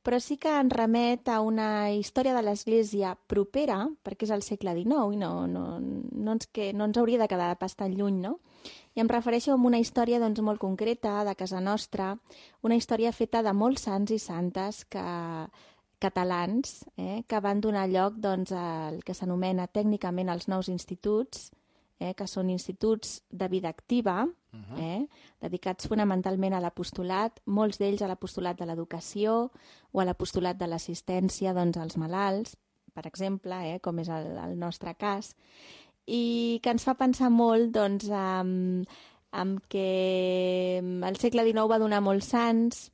però sí que ens remet a una història de l'Església propera, perquè és al segle dinou i no, no, no, ens, que, no ens hauria de quedar pas tan lluny, no? I em refereixo a una història doncs, molt concreta, de casa nostra, una història feta de molts sants i santes que, catalans eh, que van donar lloc doncs, al que s'anomena tècnicament els nous instituts, eh, que són instituts de vida activa, uh-huh. eh, dedicats fonamentalment a l'apostolat, molts d'ells a l'apostolat de l'educació o a l'apostolat de l'assistència doncs, als malalts, per exemple, eh, com és el, el nostre cas, i que ens fa pensar molt doncs, amb, amb que el segle dinou va donar molts sants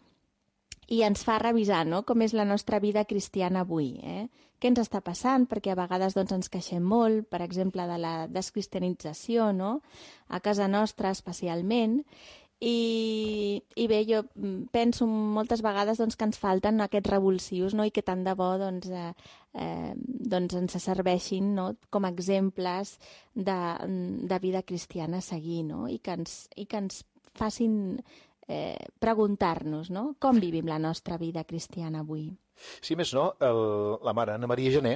i ens fa revisar no? Com és la nostra vida cristiana avui. Eh? Què ens està passant? Perquè a vegades doncs, ens queixem molt, per exemple, de la descristianització, no? A casa nostra especialment. I, i bé, jo penso moltes vegades doncs, que ens falten aquests revulsius no? I que tant de bo doncs, eh, eh, doncs ens serveixin no? Com a exemples de, de vida cristiana a seguir no? I, que ens, i que ens facin eh, preguntar-nos no? Com vivim la nostra vida cristiana avui. Sí, més no, el, la mare Anna Maria Gené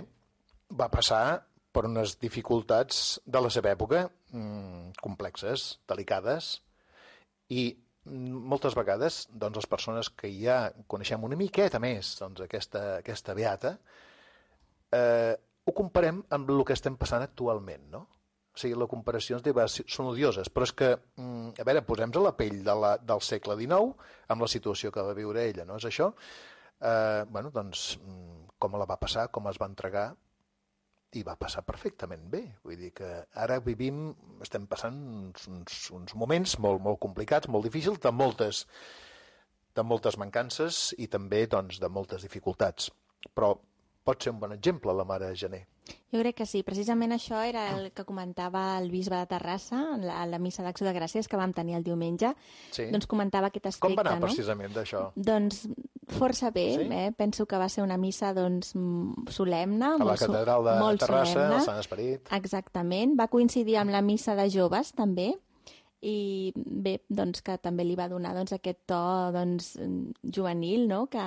va passar per unes dificultats de la seva època mmm, complexes, delicades, i moltes vegades doncs, les persones que ja coneixem una miqueta més doncs, aquesta, aquesta beata, eh, ho comparem amb el que estem passant actualment, no? O sigui, les comparacions són odioses, però és que, a veure, posem-nos a la pell de la, del segle dinou amb la situació que va viure ella, no és això? Eh, bueno, doncs, com la va passar, com es va entregar, i va passar perfectament bé. Vull dir que ara vivim, estem passant uns, uns, uns moments molt, molt complicats, molt difícils, de moltes, de moltes mancances i també doncs, de moltes dificultats. Però pot ser un bon exemple, la mare Gené. Jo crec que sí. Precisament això era el que comentava el bisbe de Terrassa a la, la missa d'Acció de Gràcies que vam tenir el diumenge. Sí. Doncs comentava aquest aspecte. Com va anar no? precisament d'això? Doncs força bé. Sí? Eh? Penso que va ser una missa doncs, solemne. A la catedral de Terrassa, solemne. el Sant Esperit. Exactament. Va coincidir amb la missa de joves, també. I bé, doncs que també li va donar doncs, aquest to doncs, juvenil, no? que,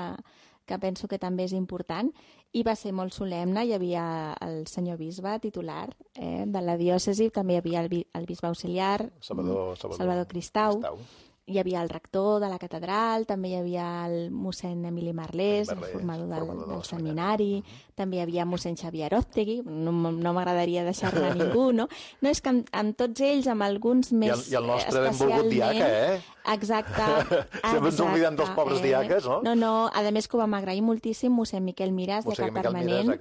que penso que també és important. I va ser molt solemne, hi havia el senyor bisbe titular eh, de la diòcesi, també hi havia el, el bisbe auxiliar, Salvador, Salvador, Salvador Cristau, Cristau, hi havia el rector de la catedral, també hi havia el mossèn Emili Marlés, Marlés el formador del, formador del del seminari, uh-huh. També hi havia mossèn Xavier Aróztegui, no, no m'agradaria deixar-ne ningú, no? No, és que amb, amb tots ells, amb alguns més especialment... I el, i el nostre benvolgut diaca, eh? Exacte. Sempre ens oblidem dels pobres eh? diaques, no? No, no, a més que ho vam agrair moltíssim, mossèn Miquel Miràs, mossèn de Cap Permanent,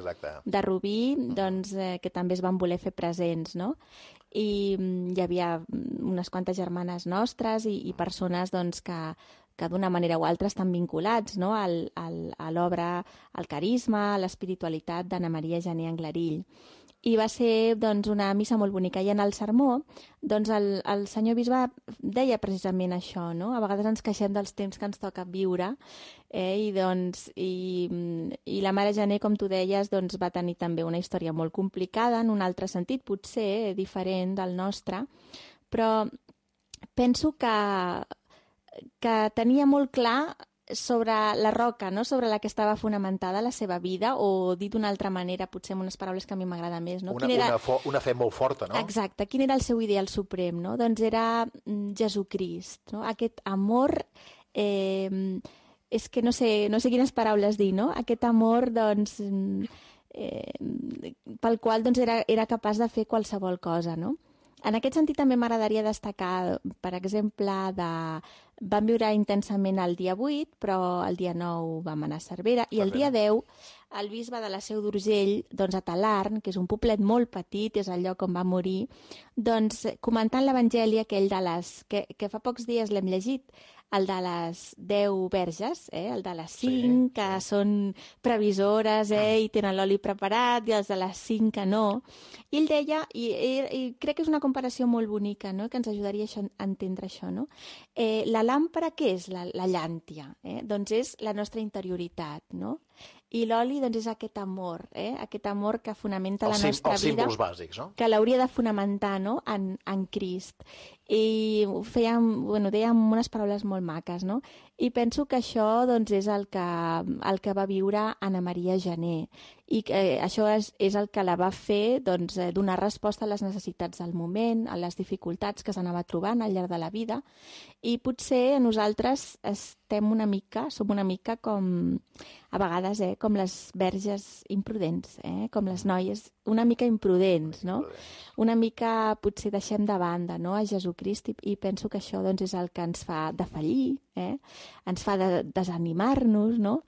de Rubí, doncs, eh, que també es van voler fer presents, no? I hi havia unes quantes germanes nostres i, i persones doncs, que, que d'una manera o altra estan vinculats no? al, al, a l'obra, al carisma, a l'espiritualitat d'Anna Maria Gené Anglarill. I va ser doncs, una missa molt bonica. I en el sermó, doncs, el, el senyor bisbe deia precisament això, no? A vegades ens queixem dels temps que ens toca viure, eh? I, doncs, i, i la mare Gené, com tu deies, doncs, va tenir també una història molt complicada, en un altre sentit, potser diferent del nostre, però penso que que tenia molt clar sobre la roca, no? Sobre la que estava fonamentada la seva vida, o dit d'una altra manera, potser amb unes paraules que a mi m'agrada més. No? Una, Quin era... una, fo una fe molt forta, no? Exacte. Quin era el seu ideal suprem? No? Doncs era Jesucrist. No? Aquest amor... Eh, és que no sé, no sé quines paraules dir, no? Aquest amor, doncs... Eh, pel qual doncs, era, era capaç de fer qualsevol cosa, no? En aquest sentit també m'agradaria destacar, per exemple, de... vam viure intensament el dia vuit, però el dia nou vam anar a Cervera, i el dia deu el bisbe de la Seu d'Urgell, doncs a Talarn, que és un poblet molt petit, és el lloc on va morir, doncs comentant l'Evangeli aquell de les... que, que fa pocs dies l'hem llegit, el de les deu verges, eh? El de les cinc, sí, que sí. són previsores eh? I tenen l'oli preparat, i els de les cinc que no. I ell deia, i, i, i crec que és una comparació molt bonica, no? Que ens ajudaria a, això, a entendre això, no? Eh, la làmpara, què és la, la llàntia? Eh? Doncs és la nostra interioritat, no? I l'oli doncs, és aquest amor, eh? Aquest amor que fonamenta els la nostra els vida, símbols bàsics, no? Que l'hauria de fonamentar, no? en, en Crist. I fèiem, bueno, dèiem unes paraules molt maques, no? I penso que això doncs, és el que, el que va viure Anna Maria Gené, i que eh, això és, és el que la va fer doncs, eh, donar resposta a les necessitats del moment, a les dificultats que s'anava trobant al llarg de la vida, i potser nosaltres estem una mica, som una mica com, a vegades, eh, com les verges imprudents, eh, com les noies una mica imprudents, no? Una mica potser deixem de banda, no? A Jesucrist, i, i penso que això doncs, és el que ens fa defallir, eh? Ens fa de, desanimar-nos, no?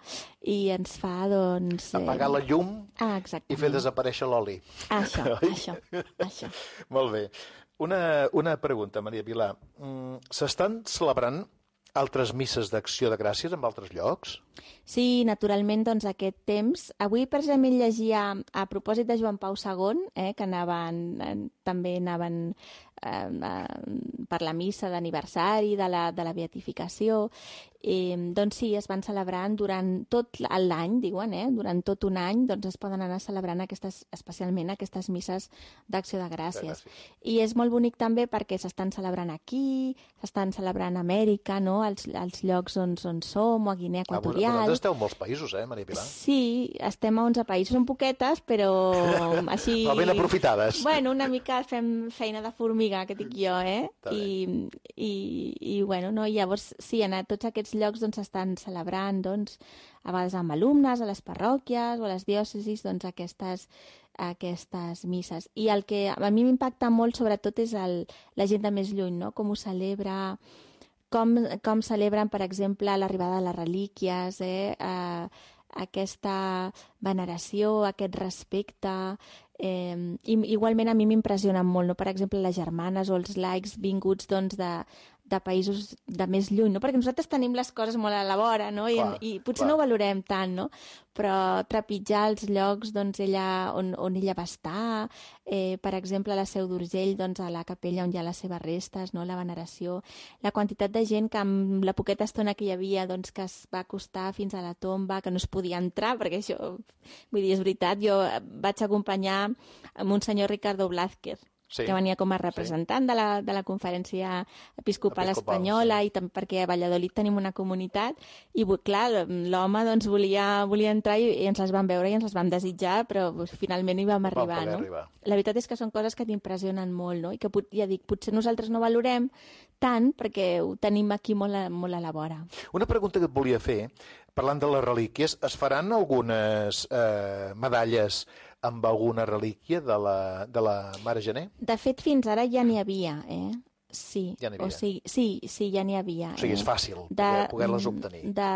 I ens fa, doncs... Eh... Apagar la llum ah, i fer desaparèixer l'oli. Això, això, això. Molt bé. Una, una pregunta, Maria Pilar. S'estan celebrant altres misses d'acció de gràcies en altres llocs? Sí, naturalment, doncs, aquest temps. Avui, precisament, llegia, a propòsit de Joan Pau segon, eh, que anaven, eh, també anaven eh, eh, per la missa d'aniversari de, la, de la beatificació, eh, doncs sí, es van celebrant durant tot l'any, diuen, eh, durant tot un any, doncs es poden anar celebrant aquestes, especialment aquestes misses d'acció de gràcies. I és molt bonic també perquè s'estan celebrant aquí, s'estan celebrant a Amèrica, no?, als, als llocs on, on som, o a Guinea Equatorial. Ah, vosaltres esteu en molts països, eh, Maria Pilar? Sí, estem a onze països, són poquetes, però així... Però ben aprofitades. Bueno, una mica fem feina de formiga, que dic jo, eh? I, i, i, bueno, no? I llavors, sí, en tots aquests llocs doncs estan celebrant, doncs, a vegades amb alumnes, a les parròquies o a les diòcesis, doncs, aquestes, aquestes misses. I el que a mi m'impacta molt, sobretot, és el, la gent de més lluny, no? Com ho celebra... Com, com celebren, per exemple, l'arribada de les relíquies, eh? eh, aquesta veneració, aquest respecte. Eh, i, igualment a mi m'impressionen molt, no? Per exemple, les germanes o els laics vinguts doncs, de, de països de més lluny, no? Perquè nosaltres tenim les coses molt a la vora, no? I, clar, i potser clar. No ho valorem tant, no? Però trepitjar els llocs doncs, ella, on, on ella va estar, eh, per exemple, a la Seu d'Urgell, doncs, a la capella on hi ha les seves restes, no? La veneració, la quantitat de gent que amb la poqueta estona que hi havia doncs, que es va acostar fins a la tomba, que no es podia entrar, perquè això, vull dir, és veritat, jo vaig acompanyar amb un senyor Ricardo Blázquez, sí, que venia com a representant sí. de, la, de la Conferència Episcopal, Episcopal Espanyola, sí. I també perquè a Valladolid tenim una comunitat, i clar, l'home doncs, volia, volia entrar i, i ens les vam veure i ens les vam desitjar, però doncs, finalment hi vam arribar. No? arribar. La veritat és que són coses que t'impressionen molt, no? I que ja dic, potser nosaltres no valorem tant perquè ho tenim aquí molt a, molt a la vora. Una pregunta que et volia fer, parlant de les relíquies, es faran algunes eh, medalles amb alguna relíquia de la, de la Mare Gené? De fet, fins ara ja n'hi havia, eh? Sí. Ja n'hi havia. O sigui, sí, sí, ja n'hi havia. O sigui, és fàcil de, poder-les obtenir. De,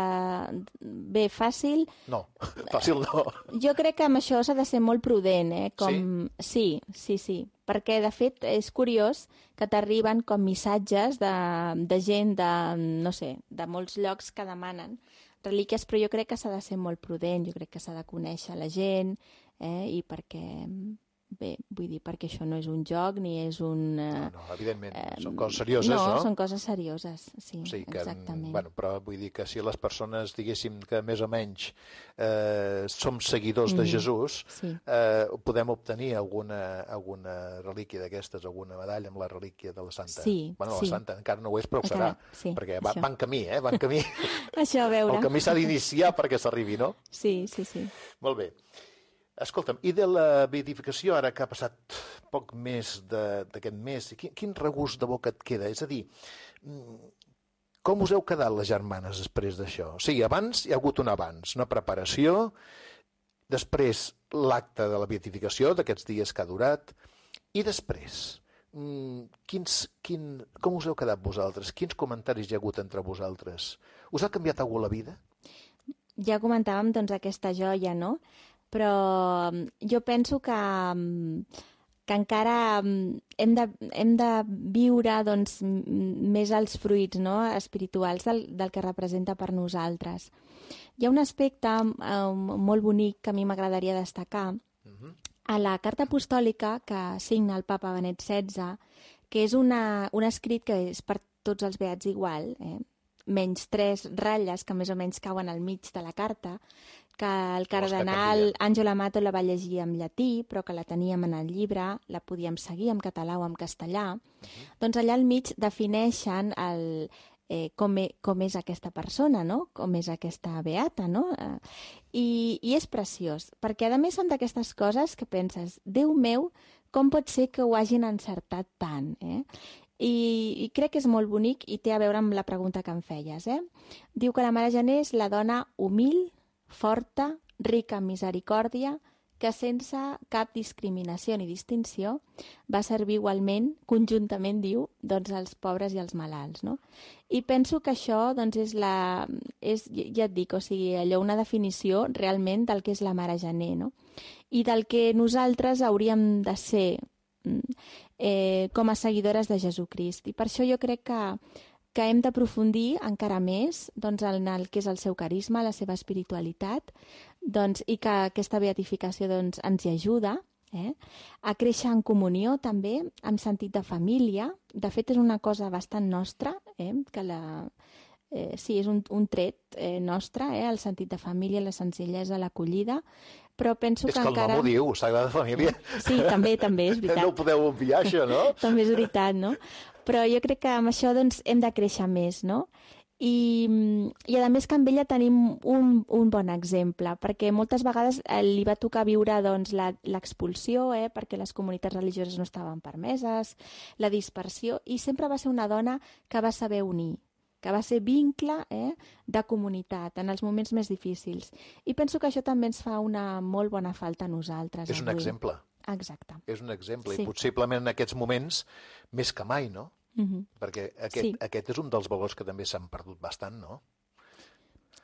bé, fàcil... No, fàcil no. Jo crec que amb això s'ha de ser molt prudent, eh? Com... Sí? Sí, sí, sí. Perquè, de fet, és curiós que t'arriben com missatges de, de gent de, no sé, de molts llocs que demanen relíquies, però jo crec que s'ha de ser molt prudent, jo crec que s'ha de conèixer la gent, eh? I perquè, bé, vull dir, perquè això no és un joc ni és un... Eh, no, no, evidentment, eh, són coses serioses, no? No, són coses serioses, sí, o sigui que, exactament. Bueno, però vull dir que si les persones, diguéssim, que més o menys eh, som seguidors de Mhm, Jesús, sí. eh, podem obtenir alguna, alguna relíquia d'aquestes, alguna medalla amb la relíquia de la Santa. Sí, bueno, sí. la Santa encara no ho és, però ho Encara- serà, sí, perquè va, això. va en camí, eh? Va en camí. Això, a veure. El camí s'ha d'iniciar perquè s'arribi, no? Sí, sí, sí. Molt bé. Escolta'm, i de la beatificació, ara que ha passat poc més de- d'aquest mes, quin, quin regust de boca et queda? És a dir, mm, com us heu quedat les germanes després d'això? O sigui, abans hi ha hagut un abans, una preparació, després l'acte de la beatificació, d'aquests dies que ha durat, i després, mm, quins, quin, com us heu quedat vosaltres? Quins comentaris hi ha hagut entre vosaltres? Us ha canviat algú la vida? Ja comentàvem doncs, aquesta joia, no? Però mm, jo penso que, mm, que encara mm, hem de, hem de viure doncs, mm, més els fruits, no? espirituals del, del que representa per nosaltres. Hi ha un aspecte eh, molt bonic que a mi m'agradaria destacar. A la carta apostòlica que signa el papa Benet setze, que és una, un escrit que és per tots els beats igual, eh? menys tres ratlles que més o menys cauen al mig de la carta, que el cardenal Àngelo Amato la va llegir en llatí, però que la teníem en el llibre, la podíem seguir en català o en castellà. Uh-huh. Doncs allà al mig defineixen el, eh, com, e, com és aquesta persona, no? Com és aquesta beata, no? Eh, i, I és preciós, perquè a més són d'aquestes coses que penses, Déu meu, com pot ser que ho hagin encertat tant, eh? I, I crec que és molt bonic i té a veure amb la pregunta que em feies, eh? Diu que la Mare Gené és la dona humil, forta, rica en misericòrdia, que sense cap discriminació ni distinció va servir igualment, conjuntament, diu, doncs als pobres i als malalts, no? I penso que això, doncs, és la... És, ja et dic, o sigui, allò, una definició realment del que és la Mare Gené, no? I del que nosaltres hauríem de ser eh, com a seguidores de Jesucrist. I per això jo crec que que hem d'aprofundir encara més doncs, en el que és el seu carisma, la seva espiritualitat, doncs, i que aquesta beatificació doncs, ens hi ajuda eh? a créixer en comunió també, en sentit de família. De fet, és una cosa bastant nostra, eh? que la... Eh, sí, és un, un tret eh, nostre, eh? el sentit de família, la senzillesa, l'acollida, però penso és que, que encara... el nom ho diu, Sagrada Família. Sí, també, també, és veritat. No ho podeu obviar, això, no? També és veritat, no? Però jo crec que amb això doncs, hem de créixer més, no? I, i a més que amb ella tenim un, un bon exemple, perquè moltes vegades eh, li va tocar viure doncs, l'expulsió, eh, perquè les comunitats religioses no estaven permeses, la dispersió, i sempre va ser una dona que va saber unir, que va ser vincle eh, de comunitat en els moments més difícils. I penso que això també ens fa una molt bona falta a nosaltres. És un avui. exemple. Exacte. És un exemple, Sí. i possiblement en aquests moments més que mai, no? Mhm. Perquè aquest, Sí. aquest és un dels valors que també s'han perdut bastant, no?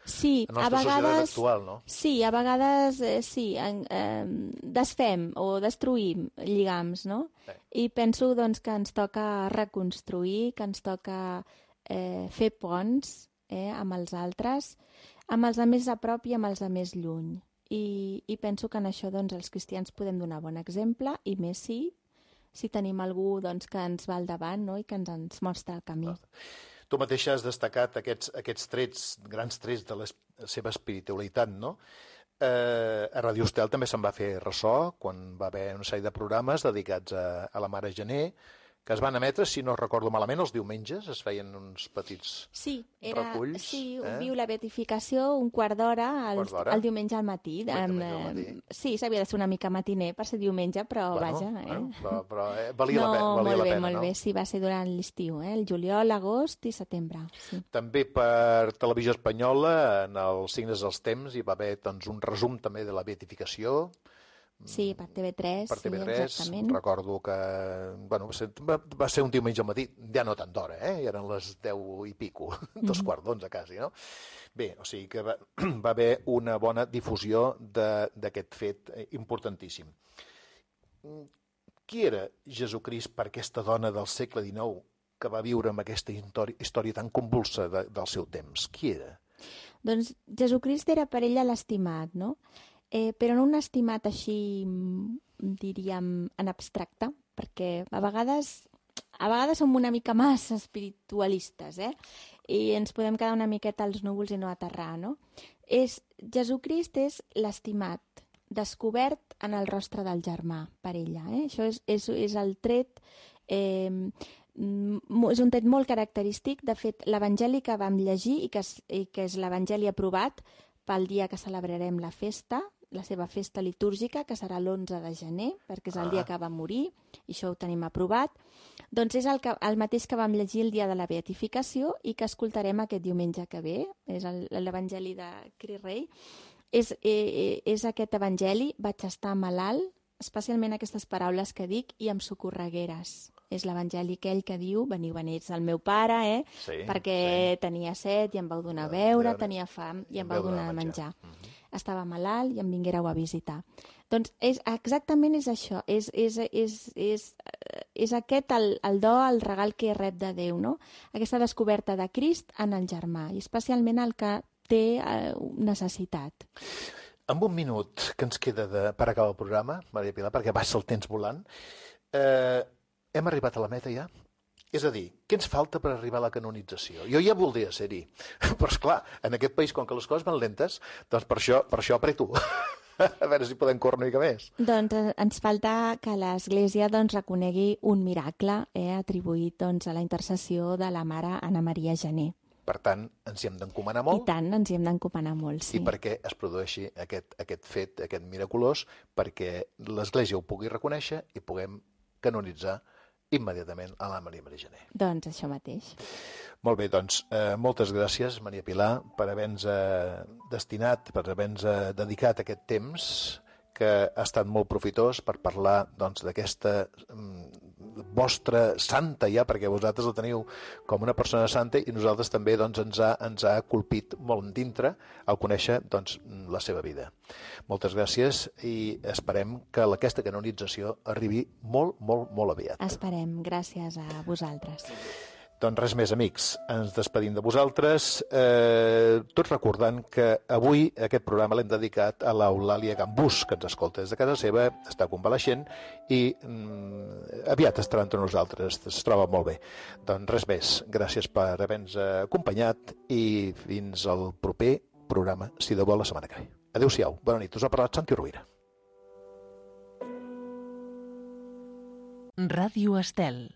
Sí, La a nostra societat vegades... actual, no? Sí, a vegades eh, sí, en, eh, desfem o destruïm lligams, no? Sí. I penso doncs, que ens toca reconstruir, que ens toca eh, fer ponts eh, amb els altres, amb els de més a prop i amb els de més lluny. I, i penso que en això doncs, els cristians podem donar bon exemple, i més si, si tenim algú doncs, que ens va al davant, no? I que ens, ens mostra el camí. Tu mateixa has destacat aquests, aquests trets, grans trets de la seva espiritualitat, no? Eh, a Radio Estel també se'n va fer ressò quan va haver una sèrie de programes dedicats a, a la Mare Gené, que es van emetre, si no recordo malament, els diumenges, es feien uns petits Sí, era, reculls. sí, eh? viu la beatificació un quart d'hora el, Quart d'hora? el diumenge al matí. El Em, diumenge al matí. eh, sí, s'havia de ser una mica matiner per ser diumenge, però Bueno, vaja. Eh? bueno, però, però eh, valia, no, la, pe valia molt la bé, pena, molt no? bé, sí, va ser durant l'estiu, eh? El juliol, agost i setembre. Sí. També per Televisió Espanyola, en els signes dels temps, hi va haver doncs, un resum també de la beatificació, Sí, per T V tres, per T V sí, tres. exactament. Recordo que bueno, va, ser, va, va ser un diumenge al matí, ja no tant d'hora, eh? eren les deu i pico, dos Mhm. quarts d'onze quasi, no? Bé, o sigui que va, va haver una bona difusió d'aquest fet eh, importantíssim. Qui era Jesucrist per aquesta dona del segle dinou que va viure amb aquesta història tan convulsa de, del seu temps? Qui era? Doncs Jesucrist era per ella l'estimat, no? eh, però no un estimat així, mm, diríem, en abstracte, perquè a vegades, a vegades som una mica massa espiritualistes, eh? I ens podem quedar una miqueta als núvols i no aterrar, no? És, Jesucrist és l'estimat, descobert en el rostre del germà per ella. Eh? Això és, és, és el tret, eh, és un tret molt característic. De fet, l'evangeli que vam llegir i que és, i que és l'evangeli aprovat pel dia que celebrarem la festa, la seva festa litúrgica, que serà l'onze de gener, perquè és el dia que va morir, i això ho tenim aprovat, doncs és el, que, el mateix que vam llegir el dia de la beatificació i que escoltarem aquest diumenge que ve, és l'evangeli de Cris Rei. És, eh, és aquest evangeli, vaig estar malalt, especialment aquestes paraules que dic, i amb socorregueres. És l'evangeli aquell que diu, veniu, veniu, el meu pare, eh? Sí, perquè sí. tenia set i em vau donar a De beure, beure, tenia fam i i em em vau vau donar a donar a menjar. menjar. Mhm. Estava malalt i em vinguéreu a visitar. Doncs és, exactament és això, és, és, és, és, és aquest el, el do, el regal que rep de Déu, no? Aquesta descoberta de Crist en el germà, i especialment el que té eh, necessitat. Amb un minut que ens queda de, per acabar el programa, Maria Pilar, perquè passa el temps volant, eh, hem arribat a la meta ja? És a dir, què ens falta per arribar a la canonització? Jo ja voldria ser-hi, però esclar, en aquest país, com que les coses van lentes, doncs per això, per això apreto. A veure si podem córrer una mica més. Doncs eh, ens falta que l'Església doncs, reconegui un miracle eh, atribuït doncs, a la intercessió de la mare Anna Maria Gené. Per tant, ens hi hem d'encomanar I molt. tant, ens hi hem d'encomanar molt, sí. I perquè es produeixi aquest, aquest fet, aquest miraculós, perquè l'Església ho pugui reconèixer i puguem canonitzar immediatament a la Maria Maria Gené. Doncs això mateix. Molt bé, doncs, eh, moltes gràcies, Maria Pilar, per haver-nos eh, destinat, per haver-nos eh, dedicat aquest temps, que ha estat molt profitós per parlar doncs, d'aquesta mm, vostra santa ja, perquè vosaltres la teniu com una persona santa i nosaltres també doncs, ens, ha, ens ha colpit molt dintre al conèixer doncs, la seva vida. Moltes gràcies i esperem que aquesta canonització arribi molt, molt, molt aviat. Esperem. Gràcies a vosaltres. Doncs res més, amics. Ens despedim de vosaltres, eh, tot recordant que avui aquest programa l'hem dedicat a l'Eulàlia Gambús, que ens escolta des de casa seva, està convaleixent i mm, aviat estarà entre nosaltres, es troba molt bé. Doncs res més, gràcies per haver-nos acompanyat i fins al proper programa, si de vol, la setmana que ve. Adéu-siau, bona nit, us ha parlat Santi Rovira. Ràdio Estel.